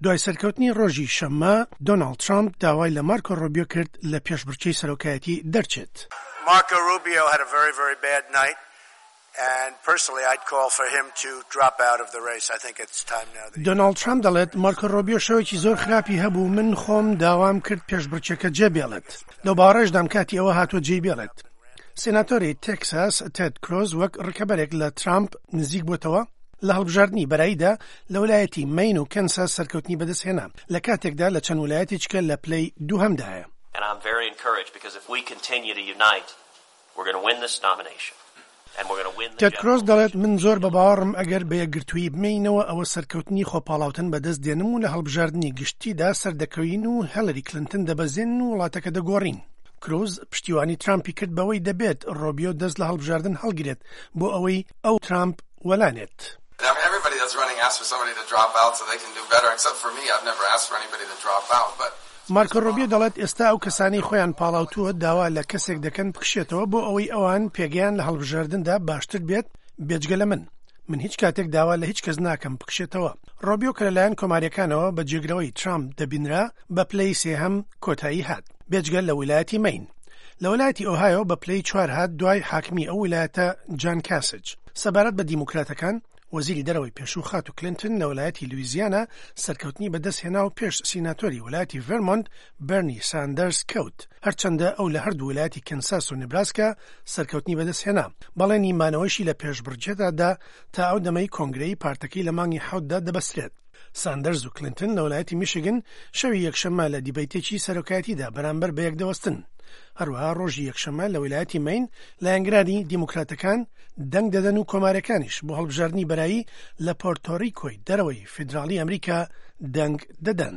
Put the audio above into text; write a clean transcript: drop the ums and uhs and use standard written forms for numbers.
دوای سەرکەوتنی ڕۆژی شەممە، دۆناڵد ترامپ داوای لە مارکۆ ڕوبیۆ کرد لە پێشبڕکێی سەرۆکایەتی دەرچێت. Marco Rubio had a very, very bad night and personally I'd call for him to drop out of the race. I think it's time now that he. دۆناڵد ترامپ دەڵێت، مارکۆ ڕۆبیۆ شەوێکی زۆر خراپی هەبوو، من خۆم داوام کرد پێشبڕکێکە جێبێڵێت. لەو باوەڕەشدام کاتی ئەوە هاتووە جێی بێڵێت. سێناتۆری تێکساس تێد کرۆز وەک ڕکەبەرێک لە ترامپ نزیک بۆتەوە، لە هەڵبژاردنی بەراییدا لە ولایەتی مەین و کەنساس سەرکەوتنی بەدەستهێنا، لە کاتێکدا لە چەند ولایەتێکیکە لە پلەی دووهەمدایە. تێد کرۆز دەڵێت، من زۆر بە باوەڕم ئەگەر بە یەکگرتوویی بمێینەوە ئەوە سەرکەوتنی خۆپاڵاوتن بەدەست دێنم و لە هەڵبژاردنی گشتیدا سەردەکەوین و هێلری کلنتن دەبەزێنن و وڵاتەکە دەگۆڕین. کروز پشتیوانی ترامپی کرد بەوەی دەبێت ڕۆبیۆ دەست لە هەڵبژاردن هەڵگرێت بۆ ئەوەی ئەو ترامپ وەلانێت. مارکۆ ڕۆبیۆ دەڵێت ئێستا ئەو کەسانەی خۆیان پاڵاوتووە داوا لە کەسێک دەکەن بکشێتەوە بۆ ئەوەی ئەوان پێگەیان لە هەڵبژاردندا باشتر بێت بێجگە لە من. من هیچ کاتێک داوا لە هیچ کەس ناکەم بکشێتەوە. ڕۆبیۆ کە لەلایەن کۆمارییەکانەوە بە جێگرەوەی ترامپ دەبینرا بە پلەی سێهەم کۆتایی هات، بێجگە لە ویلایەتی مەین. لە ویلایەتی ئۆهایۆ بە پلەی چوار هات دوای حاکمی ئەو ویلایەتە جان کاسج. سەبارەت بە دیموکراتەکان، وەزیری دەرەوەی پێشوو خاتوو کلینتن لە ویلایەتی لویزیانا سەرکەوتنی بەدەستهێنا و پێش سیناتۆری ویلایەتی ڤێرمۆنت بێرنی ساندەرز کەوت، هەرچەندە ئەو لە هەردوو ویلایەتی کەنساس و نبراسکا سەرکەوتنی بەدەستهێنا، بەڵێنی مانەوەیشی لە پێشبڕکێدا دا تا ئەو دەمەی کۆنگرەی پارتەکەی لە مانگی حەوتدا دەبەسترێت. ساندەرز و کلینتن لە ویلایەتی میشیگن شەوی یەکشەممە لە دیبەیتێکی سەرۆکایەتیدا بەرامبەر بە یەک دەوەستن. هەروەها ڕۆژی یەکشەممە لە ویلایەتی مەین لایەنگرانی دیموکراتەکان دەنگ دەدەن و کۆماریەکانیش بۆ هەڵبژاردنی بەرایی لە پۆرتۆریکۆی دەرەوەی فیدراڵی ئەمریکا دەنگ دەدەن.